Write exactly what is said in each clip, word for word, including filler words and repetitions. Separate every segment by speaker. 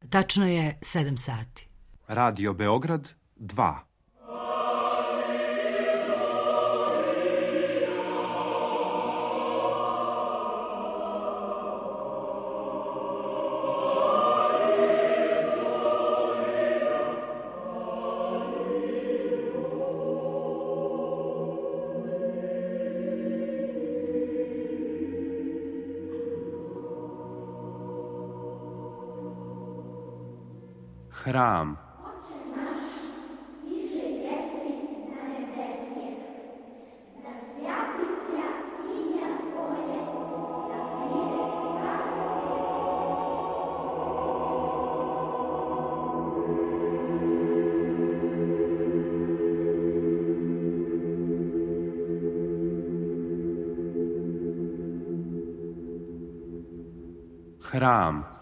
Speaker 1: Tačno je sedam sati.
Speaker 2: Radio Beograd dva. Hram. Hram.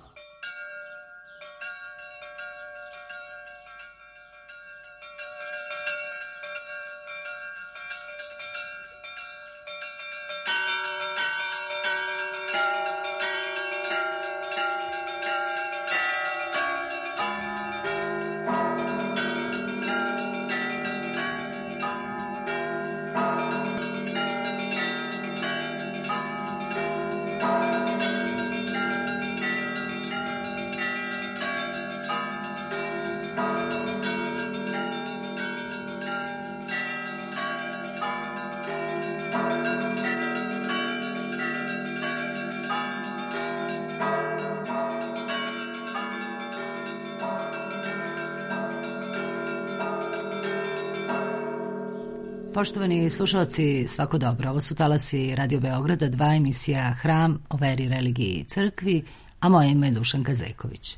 Speaker 1: Poštovani slušalci, svako dobro. Ovo su talasi Radio Beograda, dva, emisija Hram o veri, religiji i crkvi, a moje ime je Dušanka Zeković.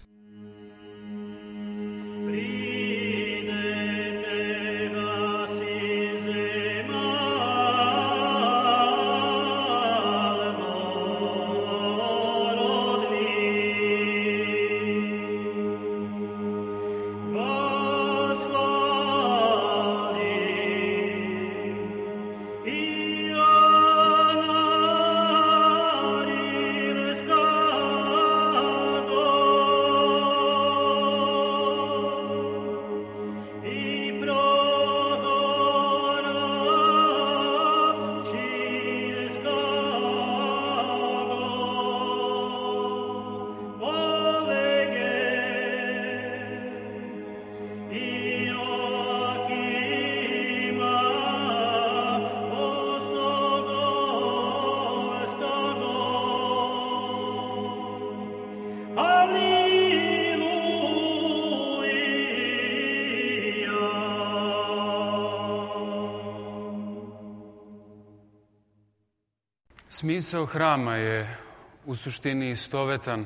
Speaker 3: Smisao hrama je u suštini istovetan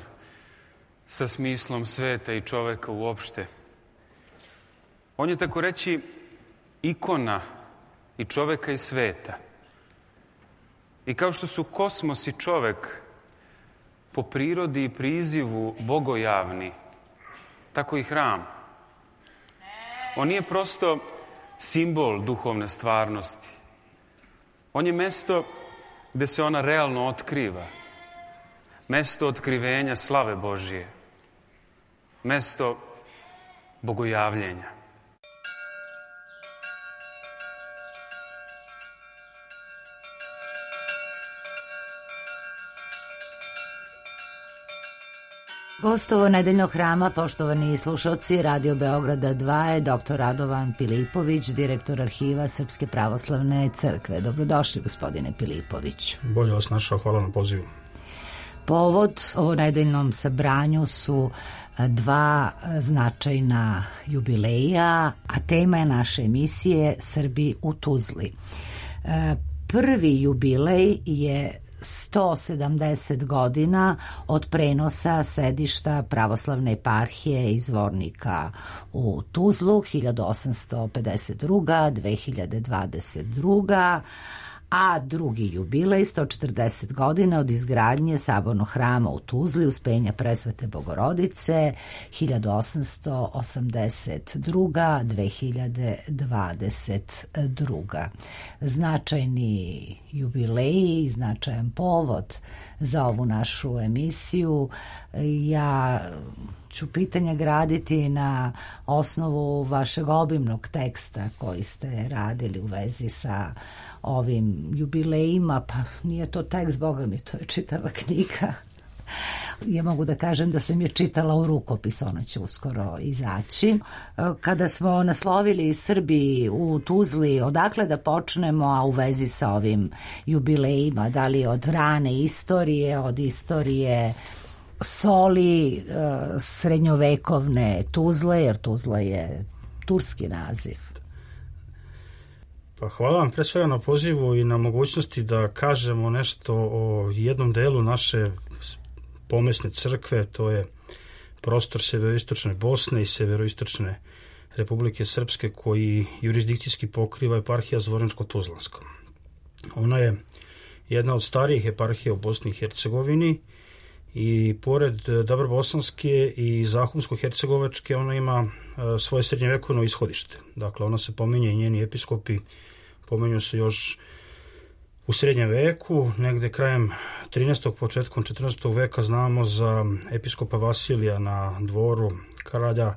Speaker 3: sa smislom sveta i čoveka uopšte. On je, tako reći, ikona i čoveka i sveta. I kao što su kosmos i čovek po prirodi i prizivu bogojavni, tako i hram. On nije prosto simbol duhovne stvarnosti. On je mesto gde se ona realno otkriva. Mesto otkrivenja slave Božije. Mesto bogojavljenja.
Speaker 1: Gost ovo nedeljnog hrama, poštovani slušalci Radio Beograda dva, je doktor Radovan Pilipović, direktor arhiva Srpske pravoslavne crkve. Dobrodošli, gospodine Pilipović.
Speaker 4: Bolje vas našao, hvala na pozivu.
Speaker 1: Povod ovo nedeljnom sabranju su dva značajna jubileja, a tema je naše emisije Srbi u Tuzli. Prvi jubilej je sto sedamdeset godina od prenosa sedišta pravoslavne eparhije iz Zvornika u Tuzlu, hiljadu osamsto pedeset druga do dve hiljade dvadeset druga, a drugi jubilej, sto četrdeset godina od izgradnje sabornog hrama u Tuzli, Uspenja Presvete Bogorodice, hiljadu osamsto osamdeset druga do dve hiljade dvadeset druga. Značajni jubileji, značajan povod za ovu našu emisiju. Ja ću pitanja graditi na osnovu vašeg obimnog teksta koji ste radili u vezi sa ovim jubilejima, pa nije to tekst, boga mi, to je čitava knjiga. Ja mogu da kažem da sam je čitala u rukopis, ona će uskoro izaći. Kada smo naslovili Srbi u Tuzli, odakle da počnemo, a u vezi sa ovim jubilejima, da li od rane istorije, od istorije soli, srednjovekovne Tuzle, jer Tuzla je turski naziv.
Speaker 4: Pa hvala vam pre svega na pozivu i na mogućnosti da kažemo nešto o jednom delu naše pomesne crkve, to je prostor severoistočne Bosne i severoistočne Republike Srpske, koji jurisdikcijski pokriva eparhija Zvorničko-Tuzlanska. Ona je jedna od starijih eparhija u Bosni i Hercegovini i pored Dobrbosanske i Zahumsko-Hercegovačke ona ima svoje srednjevekovno ishodište. Dakle, ona se pominje i njeni episkopi pominju se još u srednjem veku, negde krajem trinaestog početkom četrnaestog veka znamo za episkopa Vasilija na dvoru kralja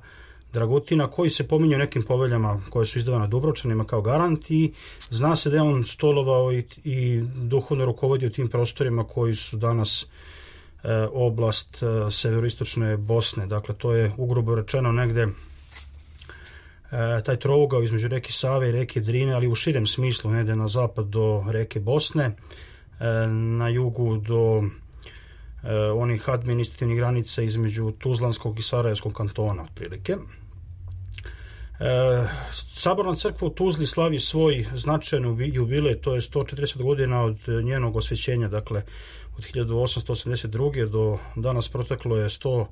Speaker 4: Dragutina, koji se pominje u nekim poveljama koje su izdavane Dubrovčanima kao garant, i zna se da je on stolovao i, i duhovno rukovodio tim prostorima koji su danas e, oblast e, severoistočne Bosne. Dakle, to je ugrubo rečeno negde E, taj trougao između reke Save i reke Drine, ali u širem smislu, negde na zapad do reke Bosne, e, na jugu do e, onih administrativnih granica između Tuzlanskog i Sarajevskog kantona, otprilike. E, Saborna crkva u Tuzli slavi svoj značajan jubilej, to je sto četrdeset godina od njenog osvećenja, dakle od hiljadu osamsto osamdeset druge do danas proteklo je sto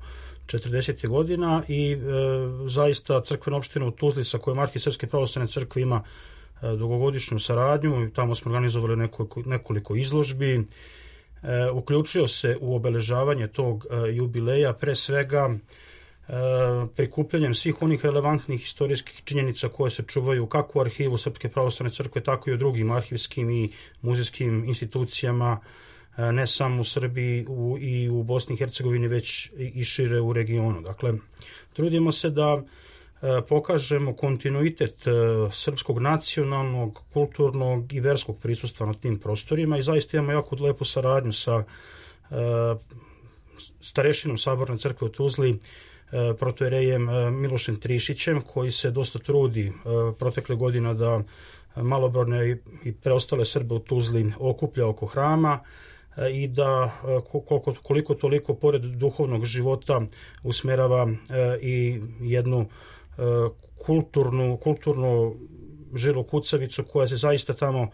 Speaker 4: četrdeset godina i e, zaista crkvena opština u Tuzli sa kojom Arhisrpske pravoslavne crkve ima e, dugogodišnju saradnju, tamo smo organizovali nekoliko, nekoliko izložbi, e, uključio se u obeležavanje tog e, jubileja pre svega e, prikupljanjem svih onih relevantnih istorijskih činjenica koje se čuvaju kako u arhivu Srpske pravoslavne crkve, tako i u drugim arhivskim i muzejskim institucijama, ne samo u Srbiji u, i u Bosni i Hercegovini, već i šire u regionu. Dakle, trudimo se da e, pokažemo kontinuitet e, srpskog nacionalnog, kulturnog i verskog prisustva na tim prostorima i zaista imamo jako lepu saradnju sa e, starešinom Saborne crkve u Tuzli, e, protojerejem e, Milošem Trišićem, koji se dosta trudi e, protekle godina da malobrojne i, i preostale Srbe u Tuzli okuplja oko hrama i da koliko, koliko toliko pored duhovnog života usmerava i jednu kulturnu, kulturnu žilu kucavicu koja se zaista tamo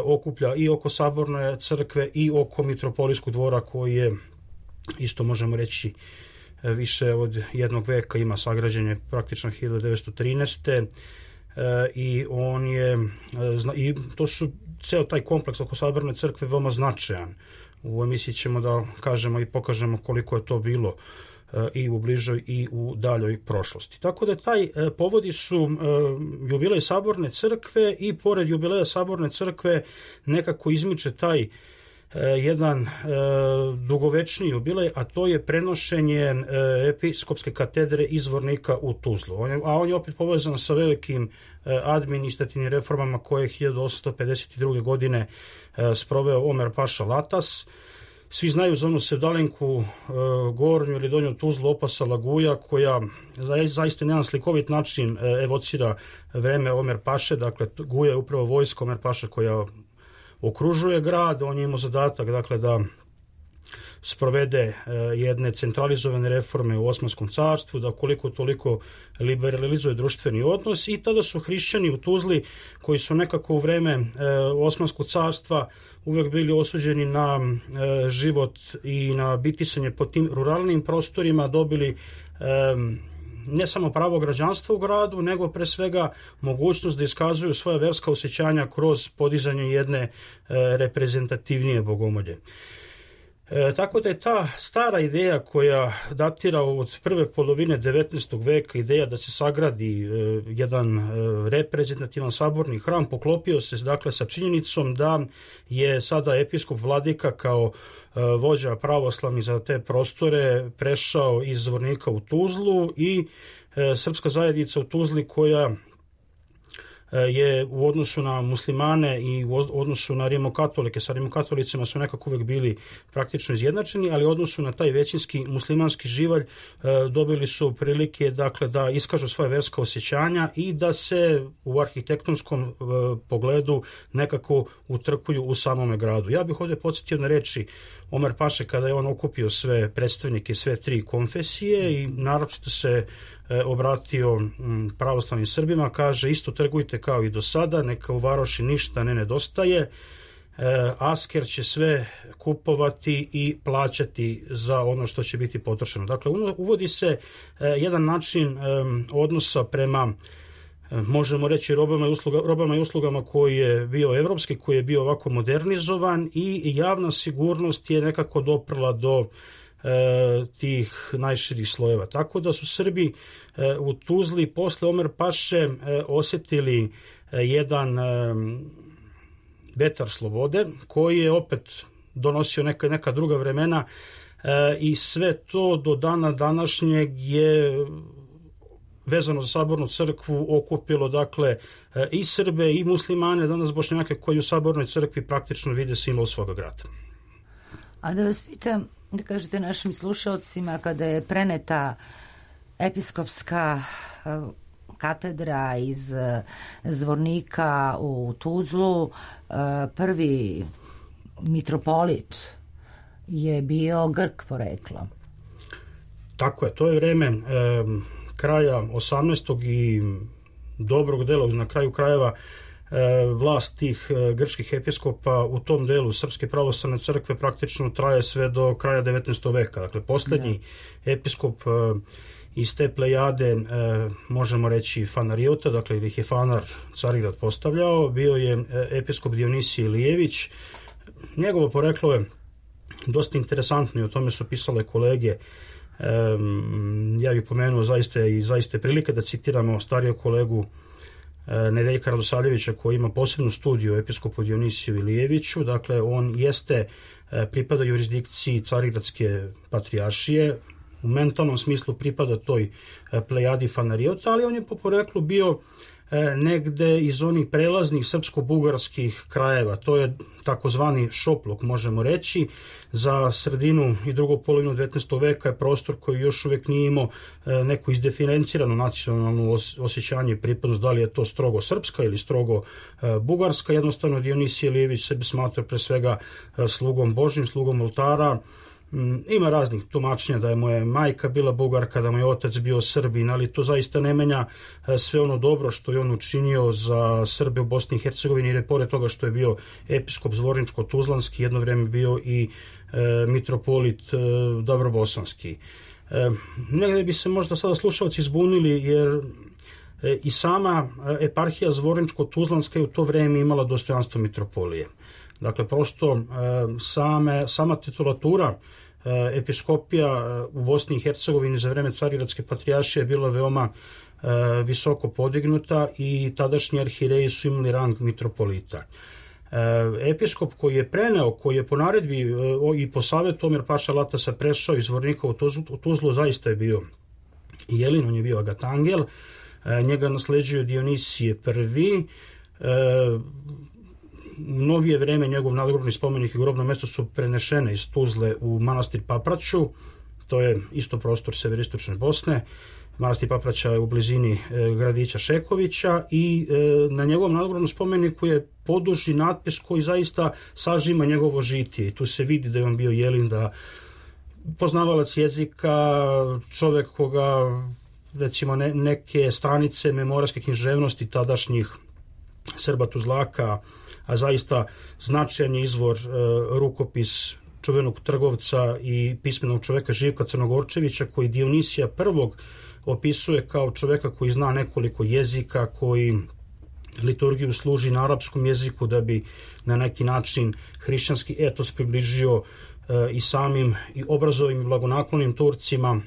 Speaker 4: okuplja i oko Saborne crkve i oko Mitropolijskog dvora, koji je, isto možemo reći, više od jednog veka, ima sagrađenje praktično hiljadu devetsto trinaeste. I on je, i to su ceo taj kompleks oko Saborne crkve veoma značajan. U emisiji ćemo da kažemo i pokažemo koliko je to bilo i u bližoj i u daljoj prošlosti. Tako da taj povodi su jubilej Saborne crkve i pored jubileja Saborne crkve nekako izmiče taj jedan dugovečni jubilej, a to je prenošenje episkopske katedre iz Zvornika u Tuzlu. A on je opet povezan sa velikim administrativnim reformama koje je hiljadu osamsto pedeset druge godine sproveo Omer Paša Latas. Svi znaju za onu sevdalenku gornju ili donju Tuzlu opasa Laguja, koja zaista na jedan slikovit način evocira vreme Omer Paše. Dakle, Guja je upravo vojska Omer Paše koja okružuje grad. On je imao zadatak, dakle, da sprovede jedne centralizovane reforme u Osmanskom carstvu, da koliko toliko liberalizuje društveni odnos, i tada su hrišćani u Tuzli, koji su nekako u vreme Osmanskog carstva uvek bili osuđeni na život i na bitisanje po tim ruralnim prostorima, dobili ne samo pravo građanstva u gradu, nego pre svega mogućnost da iskazuju svoja verska osjećanja kroz podizanje jedne reprezentativnije bogomolje. E, tako da je ta stara ideja koja datira od prve polovine devetnaestog veka, ideja da se sagradi e, jedan e, reprezentativan saborni hram, poklopio se dakle sa činjenicom da je sada episkop Vladika kao e, vođa pravoslavni za te prostore prešao iz Zvornika u Tuzlu i e, srpska zajednica u Tuzli koja je u odnosu na muslimane i u odnosu na rimokatolike, sa rimokatolicima su nekako uvek bili praktično izjednačeni, ali u odnosu na taj većinski muslimanski živalj dobili su prilike dakle, da iskažu svoje verska osjećanja i da se u arhitektonskom pogledu nekako utrkuju u samome gradu. Ja bih ovdje podsjetio na reči Omer Paše kada je on okupio sve predstavnike, sve tri konfesije i naročito se obratio pravoslavnim Srbima, kaže isto trgujte kao i do sada, neka u varoši ništa ne nedostaje, asker će sve kupovati i plaćati za ono što će biti potrošeno. Dakle, uvodi se jedan način odnosa prema, možemo reći, robama i, usluga, robama i uslugama koji je bio evropski, koji je bio ovako modernizovan i javna sigurnost je nekako doprla do E, tih najširih slojeva. Tako da su Srbi e, u Tuzli posle Omer Paše e, osjetili e, jedan e, vetar slobode koji je opet donosio neka, neka druga vremena e, i sve to do dana današnjeg je vezano za Sabornu crkvu okupilo dakle e, i Srbe i muslimane, danas Bošnjake koji u Sabornoj crkvi praktično vide simbol svoga grada.
Speaker 1: A da vas pitam, da kažete našim slušalcima, kada je preneta episkopska katedra iz Zvornika u Tuzlu, prvi mitropolit je bio Grk porekla.
Speaker 4: Tako je, to je vreme e, kraja osamnaestog i dobrog dela, na kraju krajeva vlast tih grčkih episkopa u tom delu Srpske pravoslavne crkve praktično traje sve do kraja devetnaestog veka. Dakle, posljednji ja. episkop iz te plejade, možemo reći Fanariota, dakle ili ih je Fanar Carigrad postavljao, bio je episkop Dionisije Ilijević. Njegovo poreklo je dosta interesantno i o tome su pisale kolege. Ja bih pomenuo zaista i zaista prilike da citiramo starijeg kolegu Nedeljka Radosavljevića koji ima posebnu studiju o episkopu Dionisiju Ilijeviću. Dakle, on jeste pripada jurisdikciji Carigradske patrijaršije, u mentalnom smislu pripada toj plejadi Fanariota, ali on je po poreklu bio negde iz onih prelaznih srpsko-bugarskih krajeva. To je takozvani šoplok, možemo reći. Za sredinu i drugu polovinu devetnaestog veka je prostor koji još uvijek nije imao neku izdiferenciranu nacionalnu osjećanje i pripadnost, da li je to strogo srpska ili strogo bugarska. Jednostavno Dionisije Ilijević sebe smatra pre svega slugom Božjim, slugom oltara. Ima raznih tumačenja da je moja majka bila Bugarka, da mu je otac bio Srbin, ali to zaista ne menja sve ono dobro što je on učinio za Srbe u Bosni i Hercegovini, jer je pored toga što je bio episkop Zvorničko-Tuzlanski, jedno vreme bio i e, mitropolit e, Dobrobosanski. E, negde bi se možda sada slušalci zbunili, jer e, i sama eparhija Zvorničko-Tuzlanska je u to vreme imala dostojanstvo mitropolije. Dakle, prosto e, same, sama titulatura e, episkopija u Bosni i Hercegovini za vreme Carigradske patrijaršije je bila veoma e, visoko podignuta i tadašnji arhireji su imali rang mitropolita. E, episkop koji je preneo, koji je po naredbi e, i po savjetu Omer Paša Latasa prešao iz Zvornika u Tuzlu, u Tuzlu zaista je bio Jelin, on je bio Agatangel, e, njega nasleđuje Dionisije prvi. E, U novije vreme njegov nadgrobni spomenik i grobno mesto su prenešene iz Tuzle u manastir Papraću, to je isto prostor severistočne Bosne. Manastir Papraća je u blizini e, gradića Šekovića i e, na njegovom nadgrobnom spomeniku je poduži natpis koji zaista sažima njegovo žitije. I tu se vidi da je on bio Jelin, da poznavalac jezika, čovek koga recimo ne, neke stranice memorarske književnosti tadašnjih Srba Tuzlaka, a zaista značajan je izvor e, rukopis čuvenog trgovca i pismenog čoveka Živka Crnogorčevića, koji Dionisija prvog opisuje kao čoveka koji zna nekoliko jezika, koji liturgiju služi na arapskom jeziku da bi na neki način hrišćanski etos približio i samim i obrazovim blagonaklonim Turcima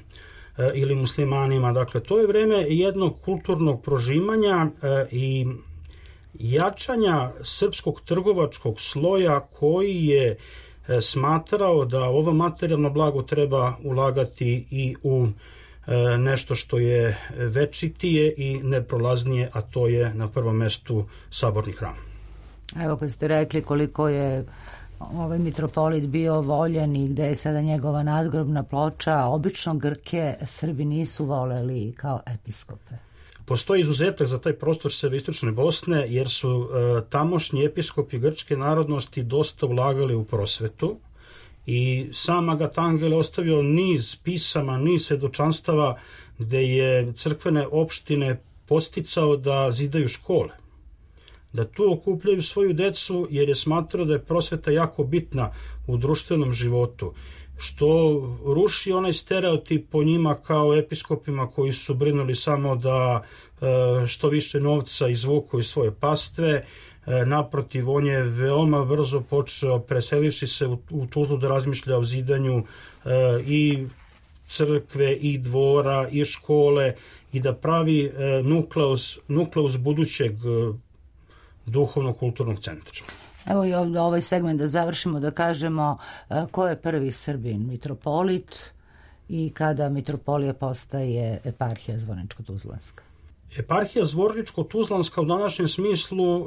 Speaker 4: ili muslimanima. Dakle, to je vreme jednog kulturnog prožimanja i jačanja srpskog trgovačkog sloja koji je smatrao da ovo materijalno blago treba ulagati i u nešto što je večitije i neprolaznije, a to je na prvom mestu saborni hram.
Speaker 1: Evo kad ste rekli koliko je ovaj mitropolit bio voljen i gde je sada njegova nadgrobna ploča, obično Grke Srbi nisu voleli kao episkope.
Speaker 4: Postoji izuzetak za taj prostor severoistočne Bosne, jer su e, tamošnji episkopi grčke narodnosti dosta ulagali u prosvetu i sam Agatangel ostavio niz pisama, niz svedočanstava gde je crkvene opštine posticao da zidaju škole, da tu okupljaju svoju decu, jer je smatrao da je prosveta jako bitna u društvenom životu, što ruši onaj stereotip po njima kao episkopima koji su brinuli samo da što više novca izvuku iz svoje pastve. Naprotiv, on je veoma brzo počeo, preselivši se u Tuzlu, da razmišlja o zidanju i crkve i dvora i škole i da pravi nukleus, nukleus budućeg duhovno-kulturnog centra.
Speaker 1: Evo i ovdje ovaj segment da završimo, da kažemo ko je prvi Srbin mitropolit i kada mitropolija postaje eparhija Zvorničko-Tuzlanska.
Speaker 4: Eparhija Zvorničko-Tuzlanska u današnjem smislu e,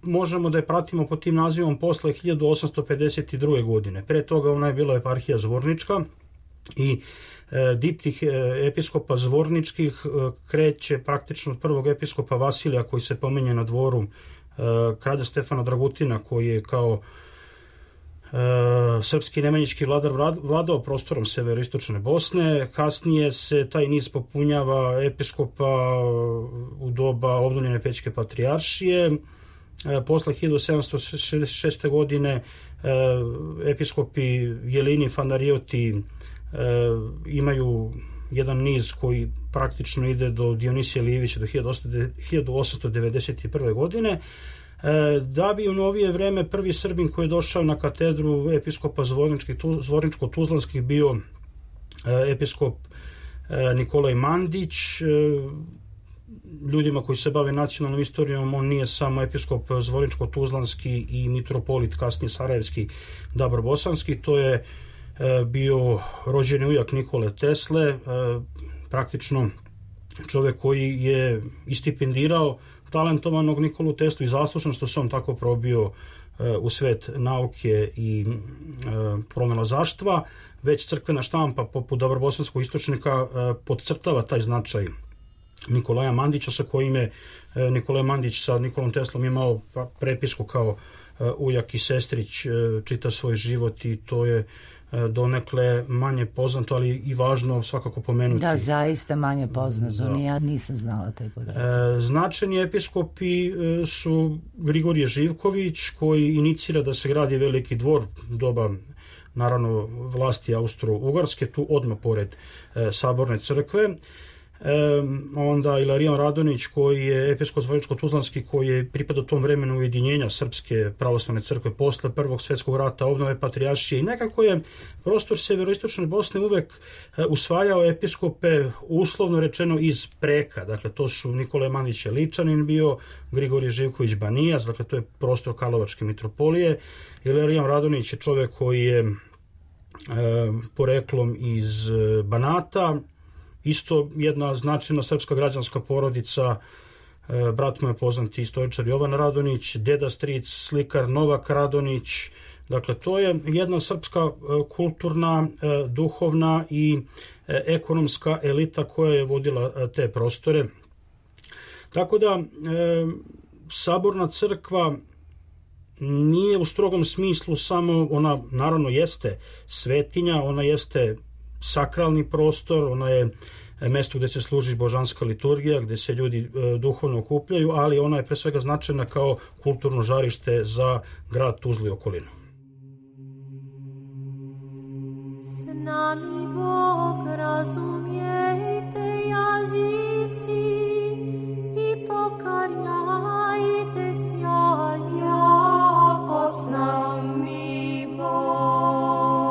Speaker 4: možemo da je pratimo pod tim nazivom posle hiljadu osamsto pedeset druge. godine. Pre toga ona je bila eparhija Zvornička i e, diptih e, episkopa Zvorničkih e, kreće praktično od prvog episkopa Vasilija koji se pominje na dvoru kralja Stefana Dragutina, koji je kao e, srpski nemanjički vladar vladao prostorom severoistočne Bosne. Kasnije se taj niz popunjava episkopa u doba obnovljene Pećke patrijaršije. E, posle hiljadu sedamsto šezdeset šeste. godine e, episkopi Jelini i Fanarioti e, imaju jedan niz koji praktično ide do Dionisija Lijevića do hiljadu osamsto devedeset prve. godine, da bi u novije vreme prvi Srbin koji je došao na katedru episkopa Zvorničko-Tuzlanskih bio episkop Nikolaj Mandić. Ljudima koji se bave nacionalnom istorijom, on nije samo episkop Zvorničko-Tuzlanski i mitropolit, kasnije Sarajevski, Dabro Bosanski, to je bio rođeni ujak Nikole Tesle, praktično čovek koji je istipendirao talentovanog Nikolu Teslu i zaslužno što se on tako probio u svet nauke i pronalazaštva. Već crkvena štampa poput Dabrobosanskog istočnika podcrtava taj značaj Nikolaja Mandića, sa kojim je Nikolaj Mandić sa Nikolom Teslom imao prepisku kao ujak i sestrić čita svoj život i to je donekle manje poznato, ali i važno svakako pomenuti.
Speaker 1: Da, zaista manje poznato, da. Ja nisam znala taj podatak.
Speaker 4: E, značajni episkopi su Grigorije Živković, koji inicira da se gradi veliki dvor doba, naravno, vlasti Austro-Ugarske, tu odmah pored e, Saborne crkve. E, onda Ilarion Radonić, koji je episkop Zvorničko-Tuzlanski, koji je pripadao tom vremenu ujedinjenja Srpske pravoslavne crkve posle Prvog svjetskog rata, obnove patrijaršije, i nekako je prostor severoistočne Bosne uvek usvajao episkope, uslovno rečeno, iz preka. Dakle, to su Nikolaj Mandić Ličanin bio, Grigorije Živković Banijas, dakle to je prostor Karlovačke mitropolije. Ilarion Radonić je čovek koji je e, poreklom iz Banata, isto jedna značajna srpska građanska porodica, brat mu je poznati istoričar Jovan Radonić, deda stric, slikar Novak Radonić. Dakle, to je jedna srpska kulturna, duhovna i ekonomska elita koja je vodila te prostore. Tako da, Saborna crkva nije u strogom smislu samo, ona naravno jeste svetinja, ona jeste sakralni prostor, ona je mesto gde se služi božanska liturgija, gde se ljudi e, duhovno okupljaju, ali ona je pre svega značajna kao kulturno žarište za grad Tuzlu i okolinu.
Speaker 5: S nami Bog, razumijete jazici i pokarjajte sjaj, jako s nami Bog.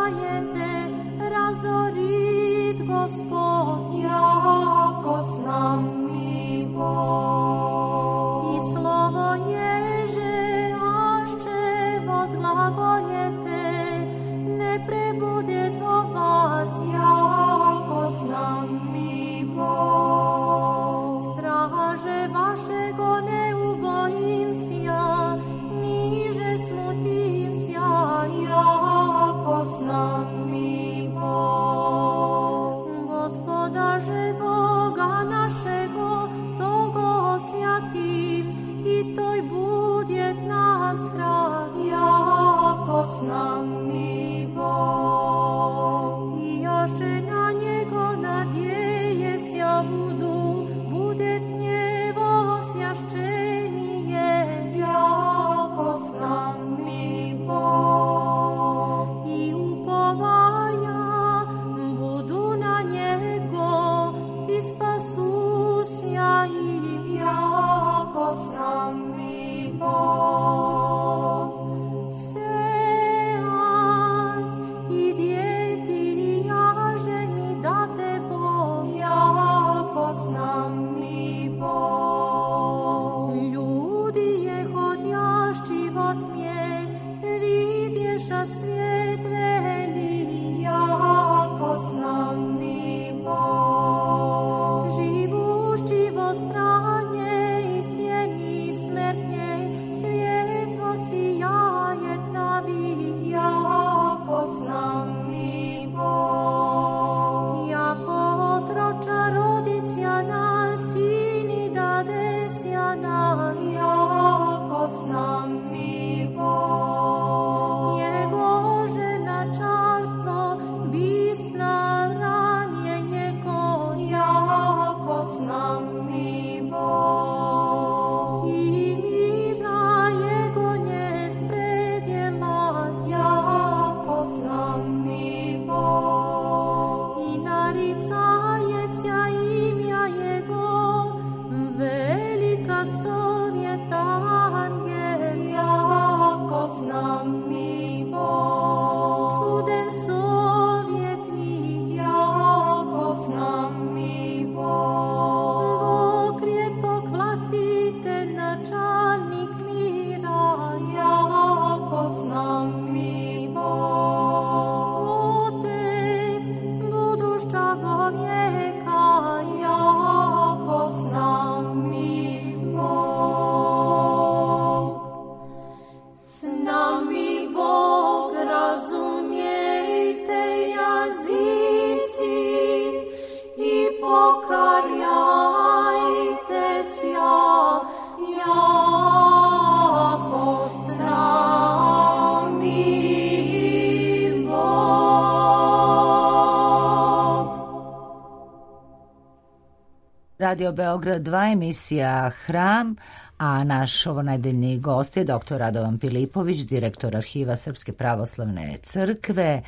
Speaker 5: zlagojete, razorit Gospod, jako s nami Bog. I slovo ježe, ašće vozglagojete, ne prebudjet o vas, jako s nami Bog. Straže vašego ne ubojim sja, niže smutim sja, jako s nami Bog. Gospoda že Boga našego, togo osjatim, i toj budjet nam strah, jako s nami Bog. I jaše na njego nadjeje sja budu, budjet gnjevo osjašćenije, jako s nami Bog. I upovaja budu na njego, i spasusja im, jako s nami Bog. Seas i djeti jaže mi date Bog, jako s nami Bog. Ljudi je hodjaš život mje, vidješa svijet veli, jako s nami Bog. Živušći vo stranje i sjeni smrtnje, svjetlo sijajet navi, jako s nami Bog. Jako otroča rodisja nam, sini dadesja nam, jako s nami Bog. Jego ženačarstvo, bisna ranje njego, jako s nami Bog. I mira jego njest predjela, jako s nami Bog. I naricajeća imja jego, velika sovjeta angel, jako s nami Bog. Čuden sovjetnik, jako s nami Bog. Bog krepok vlastitelj, načalnik mira, jako s nami Bog. Otec budušćago vijeka, jako s nami Bog. S nami Bog, razumijte jazici i pokarjajte sja, jako s nami Bog.
Speaker 1: Radio Beograd dva, emisija Hram, a naš ovonedeljni gost je doktor Radovan Pilipović, direktor Arhiva Srpske pravoslavne crkve.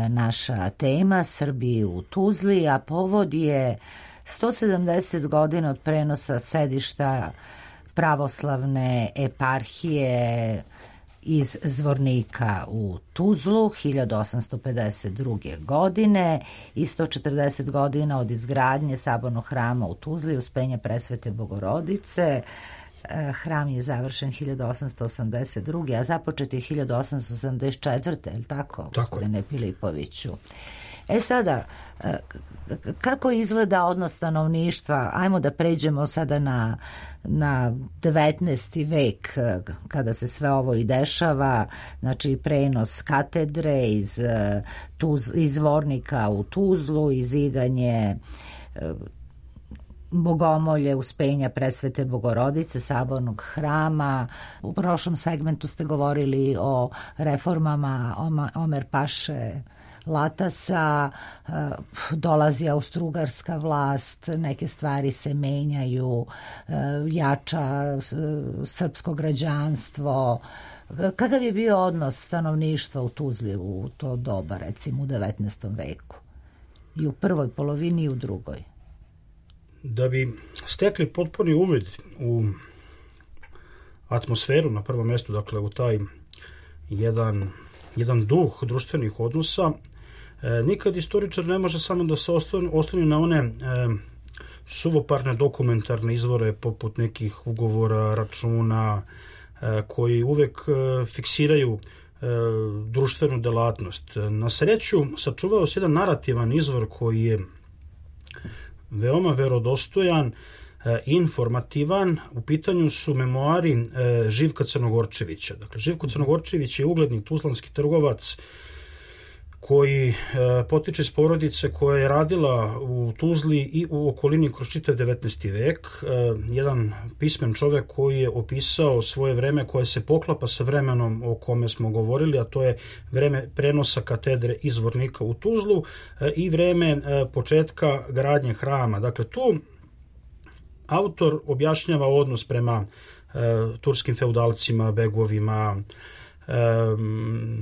Speaker 1: Naša tema Srbi u Tuzli, a povod je sto sedamdeset godina od prenosa sedišta pravoslavne eparhije iz Zvornika u Tuzlu hiljadu osamsto pedeset druge. godine i sto četrdeset godina od izgradnje sabornog hrama u Tuzli Uspenja Presvete Bogorodice. Hram je završen hiljadu osamsto osamdeset druge. a započet je hiljadu osamsto osamdeset četvrte. je li tako, gospodine Pilipoviću? E sada, kako izgleda odnos stanovništva? Ajmo da pređemo sada na, na devetnaesti vek, kada se sve ovo i dešava, znači prenos katedre iz, Tuz, iz Zvornika u Tuzlu, izidanje Bogomolje Uspenja Presvete Bogorodice, sabornog hrama. U prošlom segmentu ste govorili o reformama Omer Paše Latasa, dolazi austrougarska vlast, neke stvari se menjaju, jača srpsko građanstvo. Kakav je bio odnos stanovništva u Tuzli u to doba, recimo u devetnaestom veku? I u prvoj polovini i u drugoj?
Speaker 4: Da bi stekli potpuni uvid u atmosferu na prvom mjestu, dakle u taj jedan jedan duh društvenih odnosa. Nikad istoričar ne može samo da se osloni na one suvoparne dokumentarne izvore poput nekih ugovora, računa, koji uvek fiksiraju društvenu delatnost. Na sreću sačuvao se jedan narativan izvor koji je veoma verodostojan, informativan. U pitanju su memoari Živka Crnogorčevića. Dakle, Živko Crnogorčević je ugledni tuzlanski trgovac koji potiče iz porodice koja je radila u Tuzli i u okolini kroz čitav devetnaesti vek. Jedan pismen čovek koji je opisao svoje vreme koje se poklapa sa vremenom o kome smo govorili, a to je vreme prenosa katedre iz Zvornika u Tuzlu i vreme početka gradnje hrama. Dakle, tu autor objašnjava odnos prema turskim feudalcima, begovima,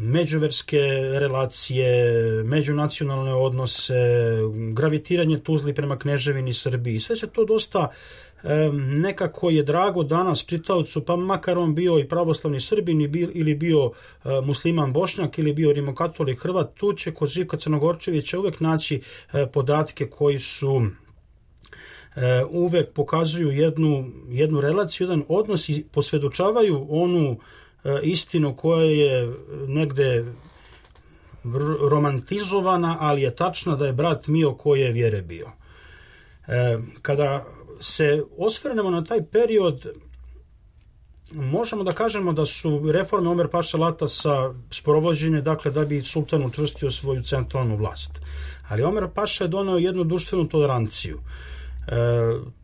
Speaker 4: međuverske relacije, međunacionalne odnose, gravitiranje Tuzli prema Kneževini Srbiji. Sve se to dosta nekako je drago danas čitaocu, pa makar on bio i pravoslavni Srbin ili bio musliman Bošnjak ili bio rimokatolik Hrvat, tu će kod Živka Crnogorčevića uvek naći podatke koji su uvek pokazuju jednu, jednu relaciju, jedan odnos i posvedočavaju onu istinu koja je negde romantizovana, ali je tačna da je brat Mio koji je vjere bio. Kada se osvrnemo na taj period, možemo da kažemo da su reforme Omer Paše Latasa sprovođene, dakle, da bi sultan učvrstio svoju centralnu vlast. Ali Omer Paša je doneo jednu društvenu toleranciju.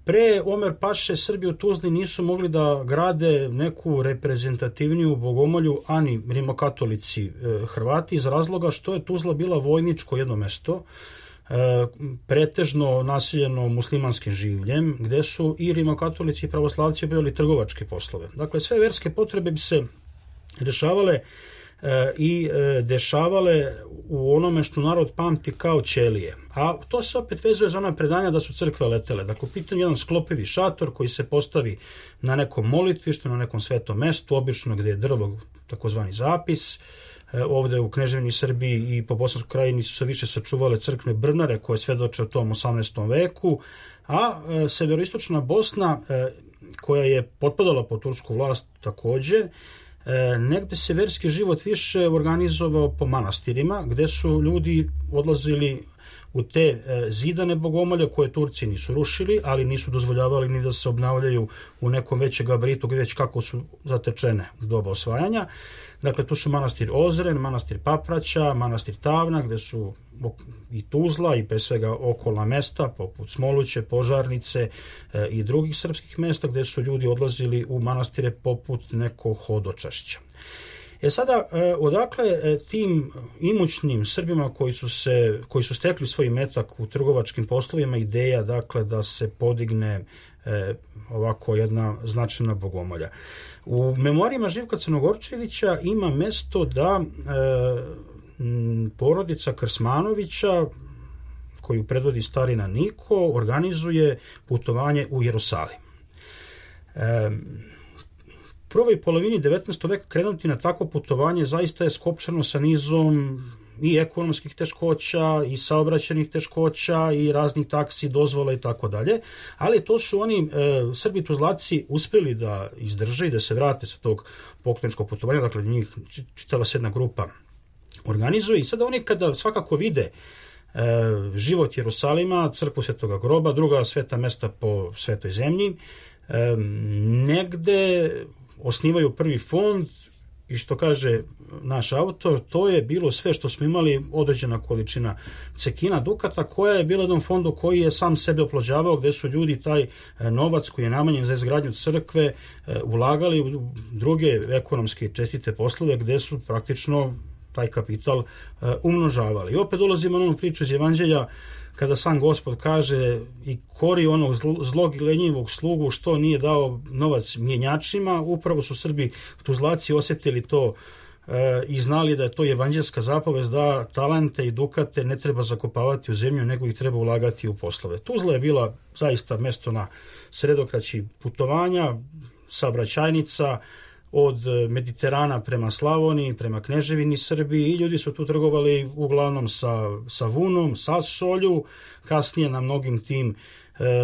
Speaker 4: Pre Omer Paše Srbi u Tuzli nisu mogli da grade neku reprezentativniju bogomolju, ani rimokatolici Hrvati, iz razloga što je Tuzla bila vojničko jedno mesto, pretežno naseljeno muslimanskim življem, gde su i rimokatolici i pravoslavci obavljali trgovačke poslove. Dakle, sve verske potrebe bi se rešavale i dešavale u onome što narod pamti kao ćelije. A to se opet vezuje za ona predanja da su crkve letele. Dakle, u pitanju jedan sklopivi šator koji se postavi na nekom molitvištu, na nekom svetom mestu, obično gde je drvo, takozvani zapis. Ovde u Kneževini Srbiji i po Bosanskoj krajini su se više sačuvale crkvene brnare koje svedoče o tom osamnaestom veku, a severoistočna Bosna, koja je potpadala pod tursku vlast takođe, negde se verski život više organizovao po manastirima, gde su ljudi odlazili u te zidane bogomolje koje Turci nisu rušili, ali nisu dozvoljavali ni da se obnavljaju u nekom većem gabaritu, već kako su zatečene u doba osvajanja. Dakle, tu su manastir Ozren, manastir Papraća, manastir Tavna, gde su i Tuzla i pre svega okolna mesta, poput Smoluće, Požarnice i drugih srpskih mesta, gde su ljudi odlazili u manastire poput nekog hodočašća. E sada, odakle tim imućnim Srbima koji su, se, koji su stekli svoj metak u trgovačkim poslovima ideja, dakle, da se podigne e, ovako jedna značajna bogomolja? U memorijama Živka Crnogorčevića ima mesto da e, porodica Krsmanovića, koju predvodi starina Niko, organizuje putovanje u Jerusalim. E, U prvoj polovini devetnaestog veka krenuti na takvo putovanje zaista je skopčano sa nizom i ekonomskih teškoća i saobraćajnih teškoća i raznih taksi, dozvola i tako dalje, ali to su oni e, Srbi Tuzlaci uspeli da izdrže i da se vrate sa tog pokloničkog putovanja, dakle njih čitava se jedna grupa organizuje i sada oni kada svakako vide e, život Jerusalima, crkvu Svetoga groba, druga sveta mesta po svetoj zemlji, e, negde osnivaju prvi fond i što kaže naš autor, to je bilo sve što smo imali, određena količina cekina dukata koja je bila jednom fondu koji je sam sebe oplođavao, gde su ljudi taj novac koji je namenjen za izgradnju crkve ulagali u druge ekonomske čestite poslove gde su praktično taj kapital umnožavali. I opet dolazimo na onu priču iz Evanđelja kada sam Gospod kaže i kori onog zlog i lenjivog slugu što nije dao novac mjenjačima, upravo su Srbi Tuzlaci osjetili to e, i znali da je to evanđelska zapovest da talente i dukate ne treba zakopavati u zemlju, nego ih treba ulagati u poslove. Tuzla je bila zaista mesto na sredokraći putovanja, saobraćajnica, od Mediterana prema Slavoniji, prema Kneževini Srbiji i ljudi su tu trgovali uglavnom sa, sa vunom, sa solju, kasnije na mnogim tim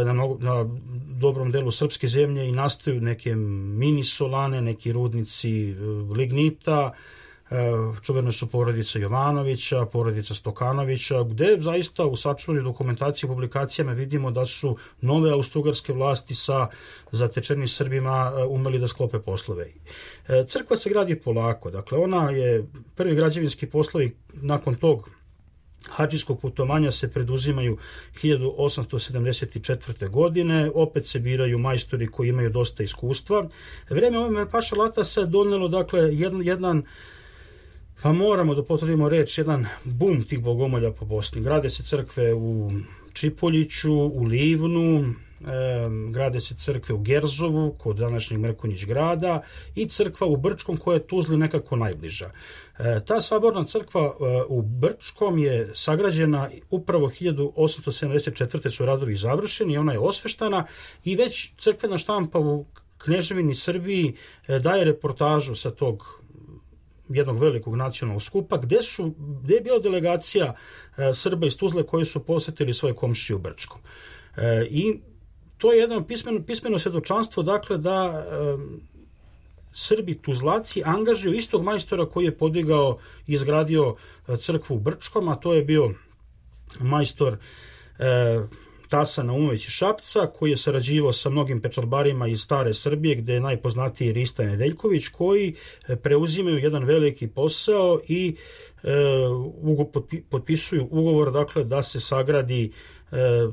Speaker 4: Na, mnogo, na dobrom delu srpske zemlje i nastaju neke mini solane, neki rudnici lignita, čuvene su porodica Jovanovića, porodica Stokanovića, gde zaista u sačuvanju dokumentaciji i publikacijama vidimo da su nove austrougarske vlasti sa zatečenim Srbima umeli da sklope poslove. Crkva se gradi polako, dakle ona je prvi građevinski poslovi nakon tog hadžijskog putovanja se preduzimaju hiljadu osamsto sedamdeset četvrte. godine, opet se biraju majstori koji imaju dosta iskustva. Vreme Omer Paša Latasa je donelo, dakle, jedan, jedan, pa moramo da potvrdimo reč, jedan bum tih bogomolja po Bosni. Grade se crkve u Čipoljiću, u Livnu, E, grade se crkve u Gerzovu kod današnjeg Mrkonjić grada i crkva u Brčkom koja je Tuzli nekako najbliža. E, ta saborna crkva e, u Brčkom je sagrađena upravo hiljadu osamsto sedamdeset četvrte. su radovi završeni, ona je osveštana i već crkvena štampa u Kneževini Srbiji e, daje reportažu sa tog jednog velikog nacionalnog skupa gde, su, gde je bila delegacija e, Srba iz Tuzle koji su posetili svoje komšije u Brčkom. E, I to je jedno pismeno, pismeno svjedočanstvo, dakle, da e, Srbi Tuzlaci angažuju istog majstora koji je podigao i izgradio crkvu u Brčkom, a to je bio majstor e, Tasa Naumović iz Šapca, koji je sarađivao sa mnogim pečarbarima iz stare Srbije, gde je najpoznatiji Rista Nedeljković, koji preuzimaju jedan veliki posao i e, ugo, potpisuju ugovor, dakle, da se sagradi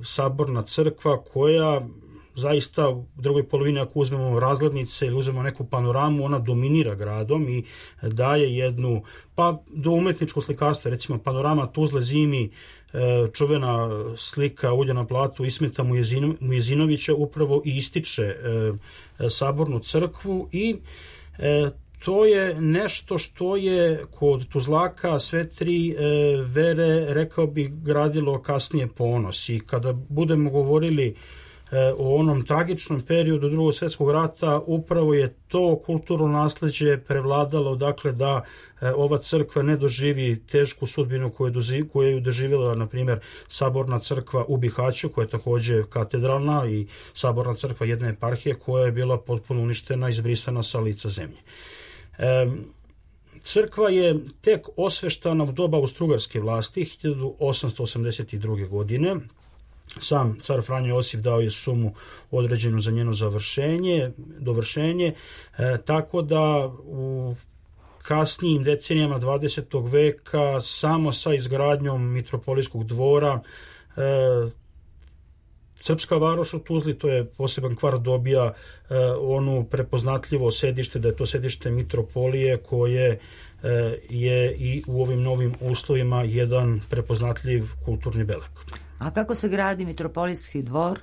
Speaker 4: saborna crkva koja zaista u drugoj polovini, ako uzmemo razglednice ili uzmemo neku panoramu, ona dominira gradom i daje jednu, pa do umetničkog slikarstva, recimo panorama Tuzle zimi, čuvena slika Ulja na platu Ismeta Mujezinovića upravo i ističe sabornu crkvu i to je nešto što je kod Tuzlaka sve tri e, vere, rekao bih, gradilo kasnije ponos. I kada budemo govorili e, o onom tragičnom periodu Drugog svjetskog rata, upravo je to kulturno nasleđe prevladalo, dakle, da e, ova crkva ne doživi tešku sudbinu koju, doživ, koju je doživjela, na primjer, saborna crkva u Bihaću, koja je također katedralna, i saborna crkva jedne eparhije koja je bila potpuno uništena i izbrisana sa lica zemlje. E, crkva je tek osveštana u doba austrougarske vlasti hiljadu osamsto osamdeset druge. godine. Sam car Franjo Josif dao je sumu određenu za njeno završenje, dovršenje, e, tako da u kasnijim decenijama dvadesetog veka samo sa izgradnjom mitropolijskog dvora e, Srpska varoš u Tuzli, to je poseban kvart, dobija e, onu prepoznatljivo sedište, da je to sedište mitropolije koje e, je i u ovim novim uslovima jedan prepoznatljiv kulturni beleg.
Speaker 1: A kako se gradi mitropolijski dvor?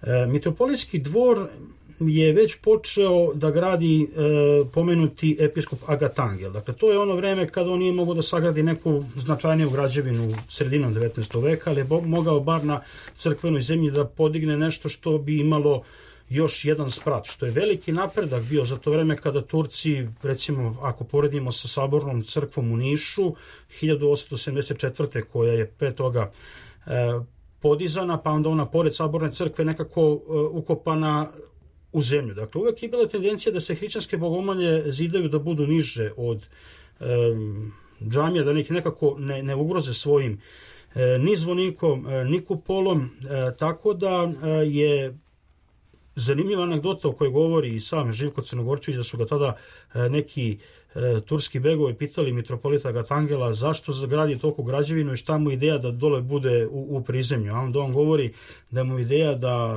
Speaker 4: E, mitropolijski dvor je već počeo da gradi e, pomenuti episkop Agatangel. Dakle, to je ono vreme kada on nije mogao da sagradi neku značajniju građevinu sredinom devetnaestog veka, ali je mogao bar na crkvenoj zemlji da podigne nešto što bi imalo još jedan sprat, što je veliki napredak bio za to vreme kada Turci, recimo ako poredimo sa sabornom crkvom u Nišu, hiljadu osamsto sedamdeset četvrte. koja je pre toga e, podizana, pa onda ona pored saborne crkve nekako e, ukopana u zemlju. Dakle, uvek je bila tendencija da se hrišćanske bogomolje zidaju da budu niže od e, džamija, da ih nekako ne, ne ugroze svojim e, ni zvonikom, e, ni kupolom, e, tako da e, je zanimljiva anegdota o kojoj govori i sam Živko Crnogorčević, da su ga tada e, neki e, turski begovi pitali mitropolita Agatangela zašto zagradi toliko građevinu i šta mu ideja da dole bude u, u prizemlju. A onda on govori da mu ideja da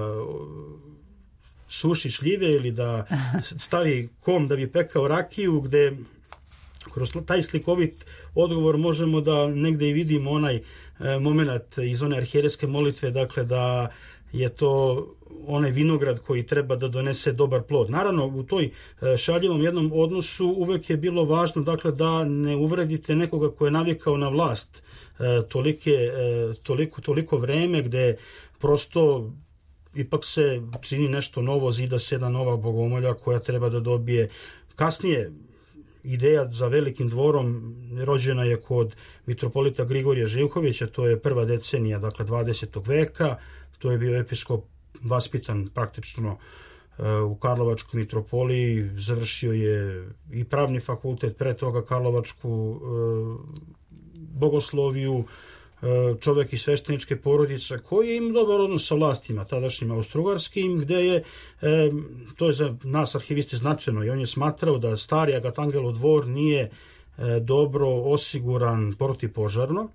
Speaker 4: suši šljive ili da stavi kom da bi pekao rakiju, gde kroz taj slikovit odgovor možemo da negde i vidimo onaj e, moment iz one arhijerejske molitve, dakle da je to onaj vinograd koji treba da donese dobar plod. Naravno, u toj šaljivom jednom odnosu uvek je bilo važno, dakle, da ne uvredite nekoga ko je navikao na vlast e, tolike, e, toliko, toliko vreme, gde prosto ipak se čini nešto novo, zida se jedna nova bogomolja koja treba da dobije. Kasnije ideja za velikim dvorom rođena je kod mitropolita Grigorija Živkovića, to je prva decenija, dakle dvadesetog veka, to je bio episkop vaspitan praktično u Karlovačkoj mitropoliji, završio je i pravni fakultet, pre toga Karlovačku bogosloviju, čovjek iz svešteničke porodice koji je imao dobar odnos sa vlastima tadašnjim austrougarskim, gde je, to je za nas arhiviste značajno, i on je smatrao da stari Agatangelov dvor nije dobro osiguran protipožarno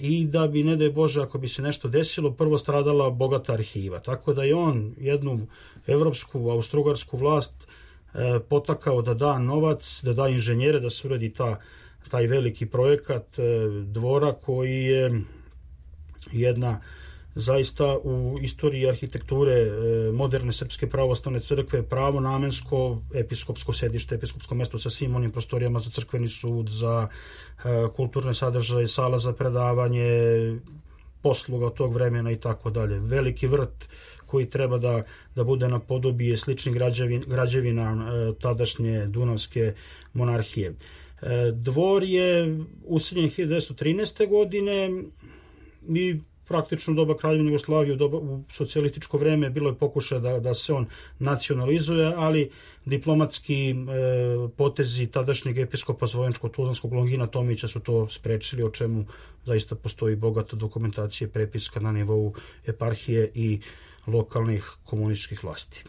Speaker 4: i da bi, ne daj Bože, ako bi se nešto desilo, prvo stradala bogata arhiva. Tako da je on jednu evropsku, austrougarsku vlast potakao da da novac, da da inženjere, da se uradi ta taj veliki projekat dvora koji je jedna zaista u istoriji arhitekture moderne Srpske pravoslavne crkve pravo namensko episkopsko sedište, episkopsko mesto sa svim onim prostorijama za crkveni sud, za kulturne sadržaje, sala za predavanje, posluga tog vremena i tako dalje. Veliki vrt koji treba da, da bude na podobije sličnih građevin, građevina tadašnje Dunavske monarhije. Dvor je useljen hiljadu devetsto trinaeste. godine i praktično u doba Kraljevine Jugoslavije, u, doba, u socijalističko vreme bilo je pokušaj da, da se on nacionalizuje, ali diplomatski e, potezi tadašnjeg episkopa Zvojenčko-Tuzlanskog Longina Tomića su to sprečili, o čemu zaista postoji bogata dokumentacija i prepiska na nivou eparhije i lokalnih komunističkih vlasti.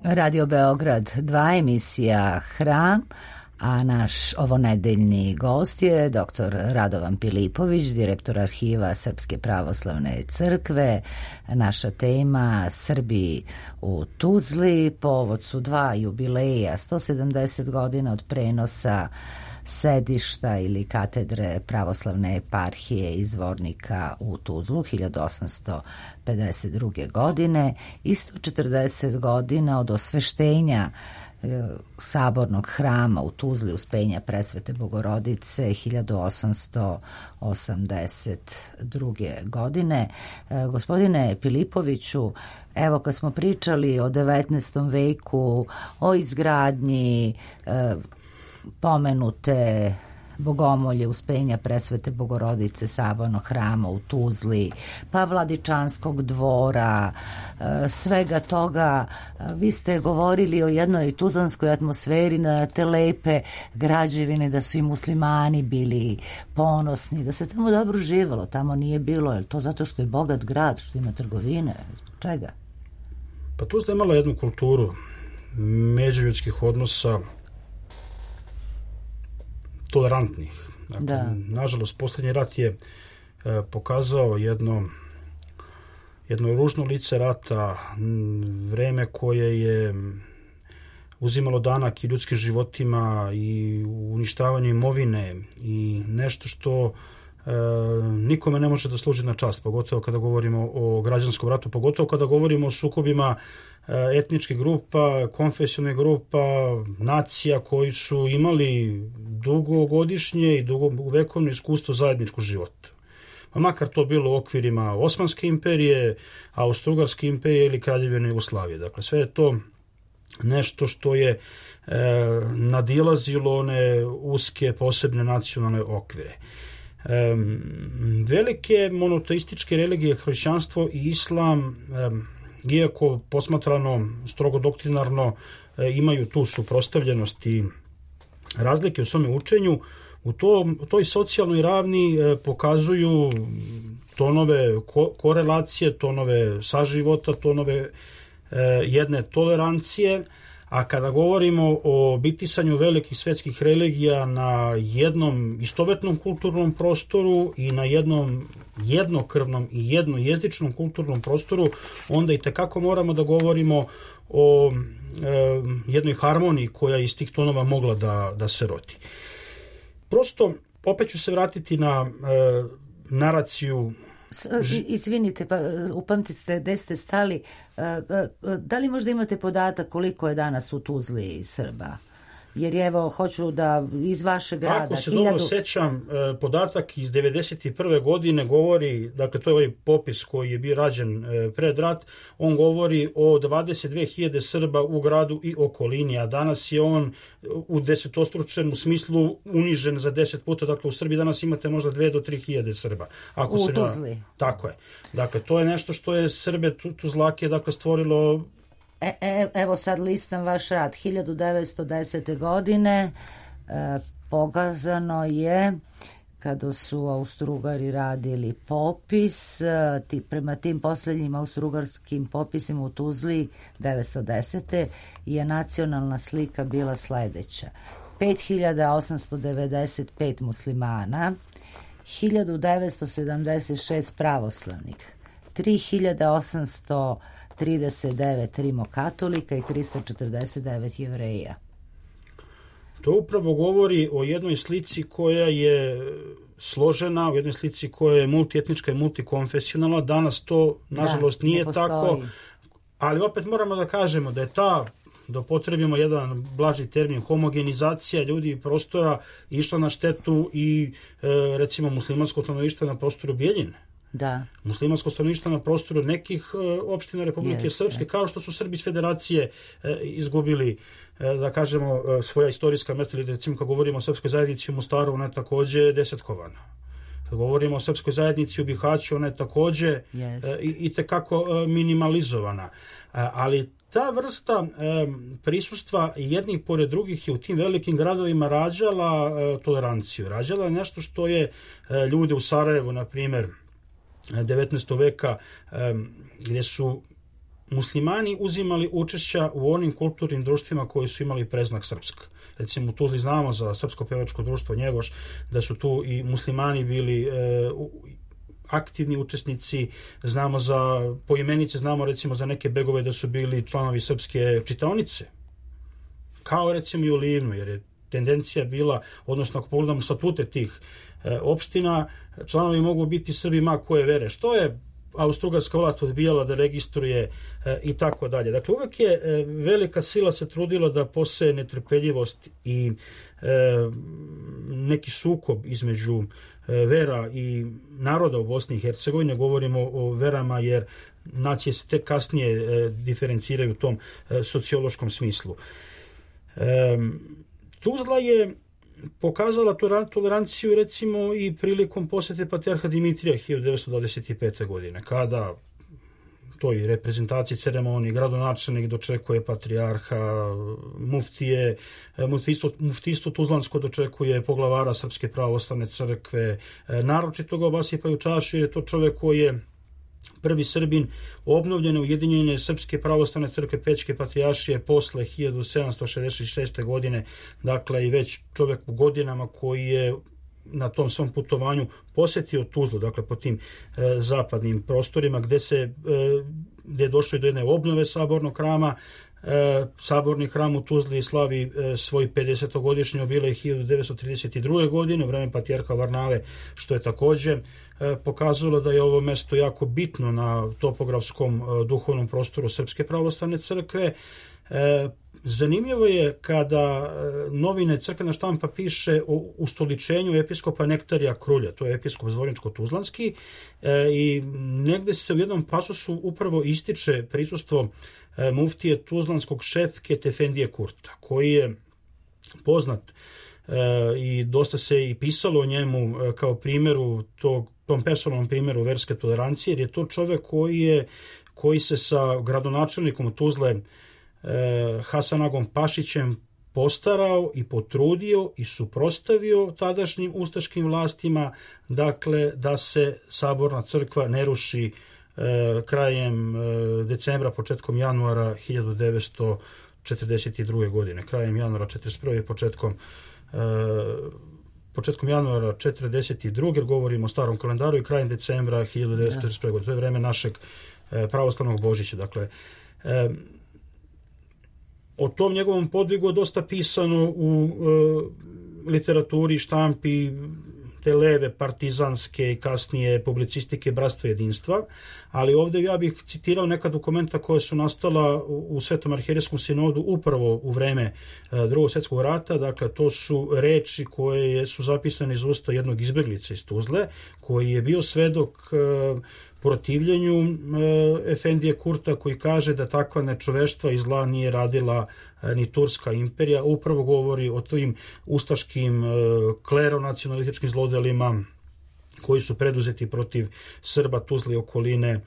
Speaker 1: Radio Beograd dva, emisija Hram, a naš ovonedeljni gost je doktor Radovan Pilipović, direktor arhiva Srpske pravoslavne crkve. Naša tema Srbi u Tuzli, povod su dva jubileja, sto sedamdeset godina od prenosa sedišta ili katedre pravoslavne eparhije iz Zvornika u Tuzlu hiljadu osamsto pedeset druge. godine i sto četrdeset godina od osveštenja sabornog hrama u Tuzli Uspenja Presvete Bogorodice hiljadu osamsto osamdeset druge. godine. Gospodine Pilipoviću, evo kad smo pričali o devetnaestom veku, o izgradnji pomenute Bogomolje Uspenja Presvete Bogorodice sabornog hrama u Tuzli, pa Vladičanskog dvora, svega toga, vi ste govorili o jednoj tuzlanskoj atmosferi, na te lepe građevine, da su i muslimani bili ponosni, da se tamo dobro živalo. Tamo nije bilo, je to zato što je bogat grad, što ima trgovine, zbog čega?
Speaker 4: Pa Tuzla je imala jednu kulturu međuljudskih odnosa, tolerantnih. Dakle,
Speaker 1: da.
Speaker 4: Nažalost, posljednji rat je e, pokazao jedno jedno ružno lice rata, vreme koje je uzimalo danak i ljudskim životima i uništavanju imovine i nešto što e, nikome ne može da služi na čast, pogotovo kada govorimo o građanskom ratu, pogotovo kada govorimo o sukobima etničkih grupa, konfesionalnih grupa, nacija koji su imali dugogodišnje i dugovekovno iskustvo zajedničkog života. Pa makar to bilo u okvirima Osmanske imperije, Austro-Ugarske imperije ili Kraljevine Jugoslavije. Dakle, sve je to nešto što je e, nadilazilo one uske posebne nacionalne okvire. E, velike monoteističke religije, hrišćanstvo i islam, e, iako posmatrano strogo doktrinarno imaju tu suprotstavljenost i razlike u svome učenju, u, to, u toj socijalnoj ravni pokazuju tonove ko, korelacije, tonove saživota, tonove jedne tolerancije, a kada govorimo o bitisanju velikih svetskih religija na jednom istovetnom kulturnom prostoru i na jednom jednokrvnom i jednojezičnom kulturnom prostoru, onda i tekako moramo da govorimo o e, jednoj harmoniji koja iz tih tonova mogla da, da se rodi. Prosto, opet ću se vratiti na e, naraciju.
Speaker 1: Izvinite, pa upamtite gde ste stali. Da li možda imate podatak koliko je danas u Tuzli Srba? Jer evo, hoću da iz vašeg grada...
Speaker 4: Ako se hiljadu... dobro sećam, podatak iz devedeset prve. godine govori, dakle to je ovaj popis koji je bio rađen pred rat, on govori o dvadeset dve hiljade Srba u gradu i okolini, a danas je on u desetostručenom smislu unižen za deset puta, dakle u Srbiji danas imate možda dve do tri hiljade Srba. Ako
Speaker 1: u
Speaker 4: se
Speaker 1: Tuzli.
Speaker 4: Na... Tako je. Dakle, to je nešto što je Srbe Tuzlake, dakle, stvorilo...
Speaker 1: E, e, evo sad listam vaš rad. hiljadu devetsto desete. godine e, pogazano je kada su Austro-Ugari radili popis, e, ti, prema tim posljednjim austro-ugarskim popisima u Tuzli devetsto desete. je nacionalna slika bila sledeća. pet hiljada osamsto devedeset pet muslimana, hiljadu devetsto sedamdeset šest pravoslavnih, tri hiljade osamsto trideset devet rimokatolika i trista četrdeset devet jevreja.
Speaker 4: To upravo govori o jednoj slici koja je složena, o jednoj slici koja je multietnička i multikonfesionalna. Danas to, nažalost, da, nije ne tako. Ali opet moramo da kažemo da je ta, da upotrebimo jedan blaži termin, homogenizacija ljudi i prostora išla na štetu i recimo muslimanskog stanovništva na prostoru Bijeljine.
Speaker 1: Da.
Speaker 4: Muslimansko stanovništvo na prostoru nekih opština Republike Jeste. Srpske, kao što su Srbi iz Federacije e, izgubili, e, da kažemo, svoja istorijska mesta, ili recimo kad govorimo o srpskoj zajednici u Mostaru, ona je takođe desetkovana. Kad govorimo o srpskoj zajednici u Bihaću, ona je takođe e, i, i tekako e, minimalizovana. E, ali ta vrsta e, prisustva jednih pored drugih je u tim velikim gradovima rađala e, toleranciju. Rađala je nešto što je e, ljude u Sarajevu, na primer, devetnaestog veka, gdje su muslimani uzimali učešća u onim kulturnim društvima koji su imali preznak srpska. Recimo u Tuzli znamo za Srpsko pevačko društvo Njegoš da su tu i muslimani bili e, aktivni učesnici, znamo za poimenice, znamo recimo za neke begove da su bili članovi srpske čitaonice, kao recimo i u Livnu, jer je tendencija bila, odnosno ako pogledamo statute tih e, opština, članovi mogu biti Srbi ma koje vere, što je austrougarska vlast odbijala da registruje e, i tako dalje. Dakle, uvek je e, velika sila se trudila da poseje netrpeljivost i e, neki sukob između e, vera i naroda u Bosni i Hercegovini. Govorimo o verama jer nacije se tek kasnije e, diferenciraju u tom e, sociološkom smislu. E, Tuzla je pokazala toleranciju recimo i prilikom posete patrijarha Dimitrija hiljadu devetsto dvadeset pete. godine, kada toj reprezentaciji ceremoniji gradonačelnik dočekuje patrijarha, muftije, muftistvo, muftistvo Tuzlansko dočekuje poglavara Srpske pravoslavne crkve, naročito ga obasipaju čašu jer je to čovjek koji je prvi Srbin obnovljene ujedinjene Srpske pravoslavne crkve Pećke patrijaršije posle hiljadu sedamsto šezdeset šeste. godine, dakle i već čovjek u godinama koji je na tom svom putovanju posjetio Tuzlu, dakle po tim e, zapadnim prostorima gdje se e, gdje je došlo do jedne obnove sabornog hrama. E, saborni hram u Tuzli slavi e, svoj pedesetogodišnji jubilej hiljadu devetsto trideset druge. godine u vreme patrijarha Varnave, što je također e, pokazalo da je ovo mesto jako bitno na topografskom e, duhovnom prostoru Srpske pravoslavne crkve. E, zanimljivo je kada e, novine Crkvena štampa piše o ustoličenju episkopa Nektarija Krulja, to je episkop Zvorničko-Tuzlanski, e, i negde se u jednom pasusu upravo ističe prisustvo e, muftije Tuzlanskog Šefket Efendije Kurta, koji je poznat e, i dosta se i pisalo o njemu e, kao primjeru tog, tom personalnom primjeru verske tolerancije, jer je to čovjek koji je koji se sa gradonačelnikom Tuzle Hasanagom Pašićem postarao i potrudio i suprotstavio tadašnjim ustaškim vlastima, dakle da se saborna crkva ne ruši e, krajem e, decembra, početkom januara hiljadu devetsto četrdeset druge. godine. Krajem januara četrdeset prve. početkom e, početkom januara četrdeset druge. govorimo o starom kalendaru, i krajem decembra hiljadu devetsto četrdeset prve. godine. To je vreme našeg e, pravoslavnog Božića. Dakle, e, o tom njegovom podvigu je dosta pisano u e, literaturi, štampi, te leve partizanske i kasnije publicistike Bratstva jedinstva, ali ovdje ja bih citirao neka dokumenta koja su nastala u, u Svetom arhijerejskom sinodu upravo u vreme e, Drugog svjetskog rata. Dakle, to su reči koje su zapisane iz usta jednog izbjeglica iz Tuzle, koji je bio svedok e, protivljenju e, Efendije Kurta, koji kaže da takva nečoveštva i zla nije radila e, ni Turska imperija. Upravo govori o tim ustaškim e, kleronacionalističkim zlodelima koji su preduzeti protiv Srba Tuzle i okoline e,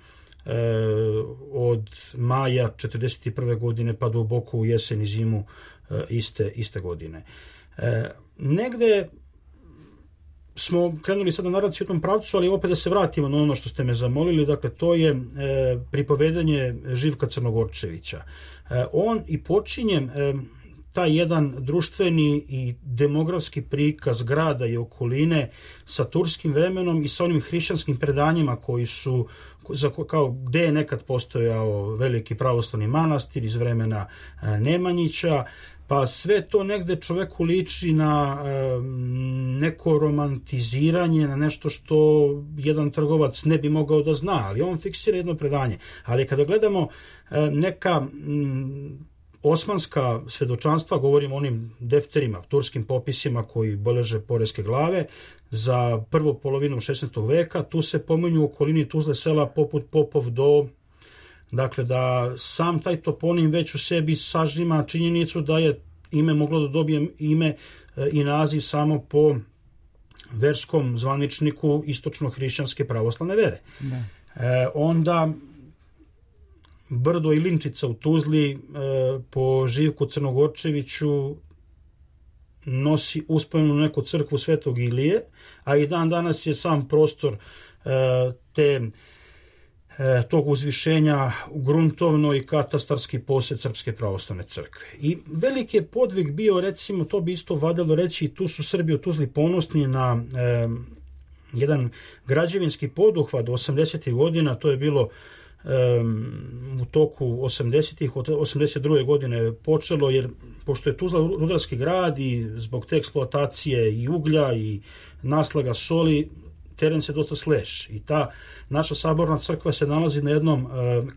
Speaker 4: od maja četrdeset prve. godine pa duboko u jesen i zimu e, iste, iste godine. E, negde smo krenuli sada naraciju u tom pravcu, ali opet da se vratimo na ono što ste me zamolili, dakle to je e, pripovedanje Živka Crnogorčevića. E, on i počinje e, taj jedan društveni i demografski prikaz grada i okoline sa turskim vremenom i sa onim hrišćanskim predanjima koji su, za, kao gde je nekad postojao veliki pravoslavni manastir iz vremena e, Nemanjića, pa sve to negde čoveku liči na e, neko romantiziranje, na nešto što jedan trgovac ne bi mogao da zna, ali on fiksira jedno predanje. Ali kada gledamo e, neka m, osmanska svedočanstva, govorimo o onim defterima, turskim popisima koji beleže poreske glave, za prvu polovinu šesnaestog veka, tu se pominju u okolini Tuzle sela poput Popov do, dakle da sam taj toponim već u sebi sažima činjenicu da je ime moglo da dobije ime e, i naziv samo po verskom zvaničniku istočno-hrišćanske pravoslavne vere. Da. E, onda Brdo i Linčica u Tuzli e, po Živku Crnogorčeviću nosi uspomenu neku crkvu Svetog Ilije, a i dan danas je sam prostor e, te tog uzvišenja u gruntovno i katastarski posjed Srpske pravoslavne crkve. I veliki je podvig bio, recimo, to bi isto valjalo reći, tu su Srbi u Tuzli ponosni na e, jedan građevinski poduhvat osamdesetih godina, to je bilo e, u toku osamdesetih, od osamdeset druge godine počelo, jer pošto je Tuzla rudarski grad i zbog te eksploatacije i uglja i naslaga soli, teren se dosta sleš i ta naša saborna crkva se nalazi na jednom e,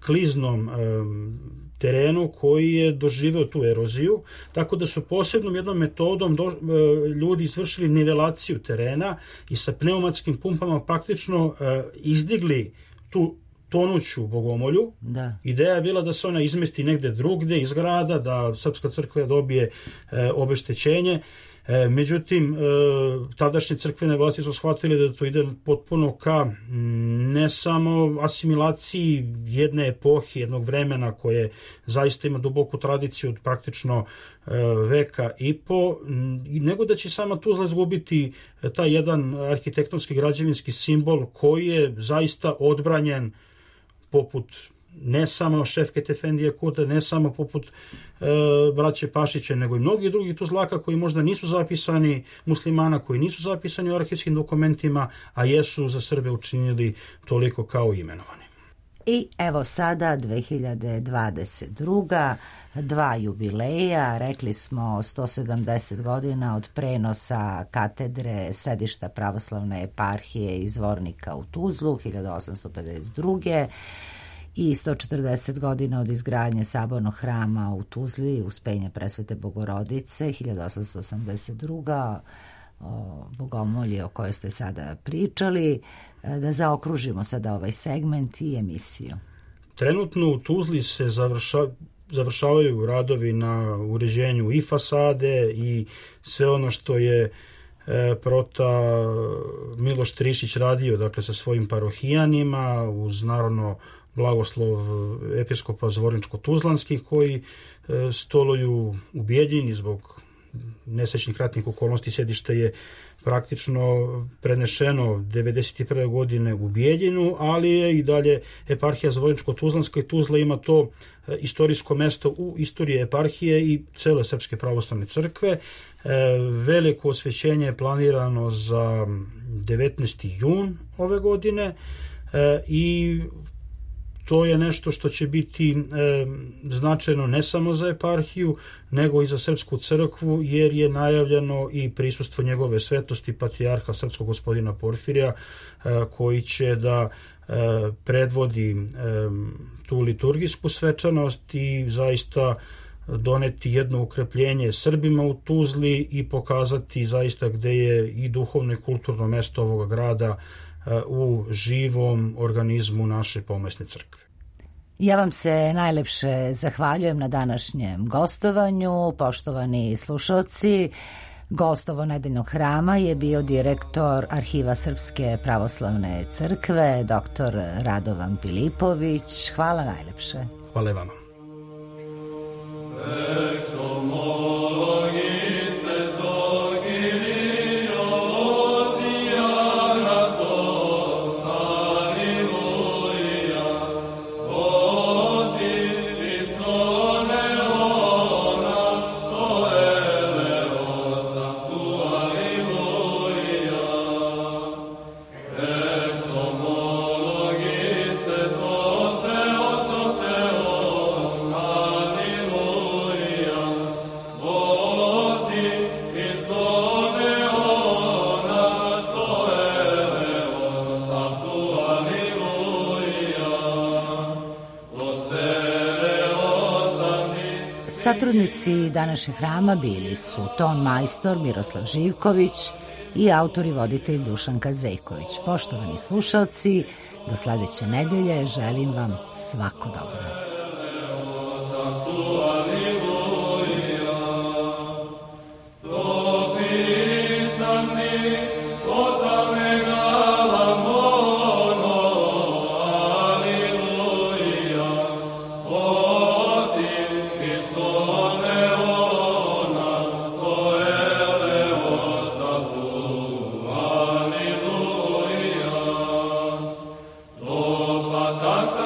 Speaker 4: kliznom e, terenu koji je doživeo tu eroziju, tako da su posebnom jednom metodom do, e, ljudi izvršili nivelaciju terena i sa pneumatskim pumpama praktično e, izdigli tu tonuću bogomolju.
Speaker 1: Da.
Speaker 4: Ideja je bila da se ona izmesti negde drugde iz grada, da Srpska crkva dobije e, obeštećenje. E, međutim, e, tadašnje crkvene vlasti su shvatili da to ide potpuno ka ne samo asimilaciji jedne epohe, jednog vremena koje zaista ima duboku tradiciju od praktično e, veka i po, nego da će sama Tuzla izgubiti taj jedan arhitektonski građevinski simbol koji je zaista odbranjen poput ne samo Šefket Efendije Kurta, ne samo poput e, braće Pašića, nego i mnogi drugi Tuzlaka koji možda nisu zapisani, muslimana koji nisu zapisani u arhivskim dokumentima, a jesu za Srbe učinili toliko kao imenovani.
Speaker 1: I evo sada dve hiljade dvadeset druga. dva jubileja, rekli smo sto sedamdeset godina od prenosa katedre sedišta pravoslavne eparhije iz Zvornika u Tuzlu hiljadu osamsto pedeset druge. i sto četrdeset godina od izgradnje sabornog hrama u Tuzli, Uspenja Presvete Bogorodice, hiljadu osamsto osamdeset druga. O bogomolji o kojoj ste sada pričali, da zaokružimo sada ovaj segment i emisiju.
Speaker 4: Trenutno u Tuzli se završa, završavaju radovi na uređenju i fasade i sve ono što je e, prota Miloš Trišić radio, dakle sa svojim parohijanima, uz naravno blagoslov episkopa Zvorničko-Tuzlanskih koji e, stoluju u Bijeljini zbog nesrećnih ratnih okolnosti. Sedište je praktično prenešeno devedeset prve godine u Bijeljinu, ali je i dalje eparhija Zvorničko-Tuzlanska i Tuzla ima to istorijsko mesto u istoriji eparhije i cele Srpske pravoslavne crkve. Veliko osvećenje je planirano za devetnaesti jun ove godine i to je nešto što će biti e, značajno ne samo za eparhiju, nego i za Srpsku crkvu, jer je najavljeno i prisustvo njegove svetosti patrijarha srpskog gospodina Porfirija, e, koji će da e, predvodi e, tu liturgijsku svečanost i zaista doneti jedno ukrepljenje Srbima u Tuzli i pokazati zaista gde je i duhovno i kulturno mesto ovoga grada u živom organizmu naše pomesne crkve.
Speaker 1: Ja vam se najlepše zahvaljujem na današnjem gostovanju, poštovani slušalci. Gost ovo nedeljnog hrama je bio direktor Arhiva Srpske pravoslavne crkve, doktor Radovan Pilipović. Hvala najlepše.
Speaker 4: Hvala i vama.
Speaker 1: Satrudnici današnjeg hrama bili su ton majstor Miroslav Živković i autor i voditelj Dušanka Zejković. Poštovani slušalci, do sledeće nedelje želim vam svako dobro.
Speaker 6: Danza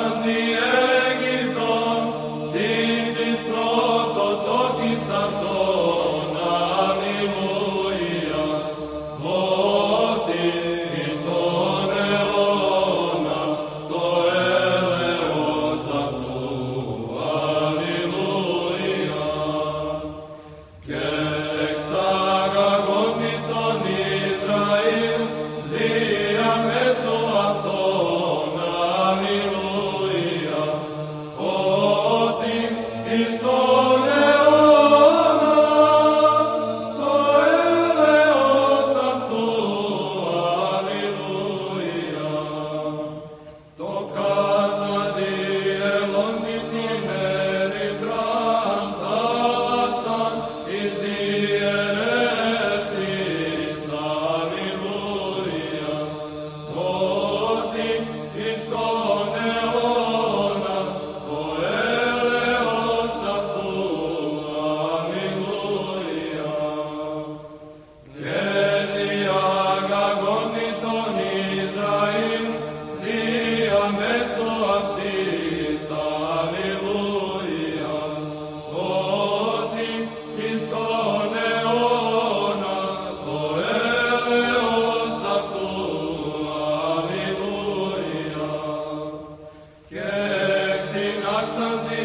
Speaker 6: Saxony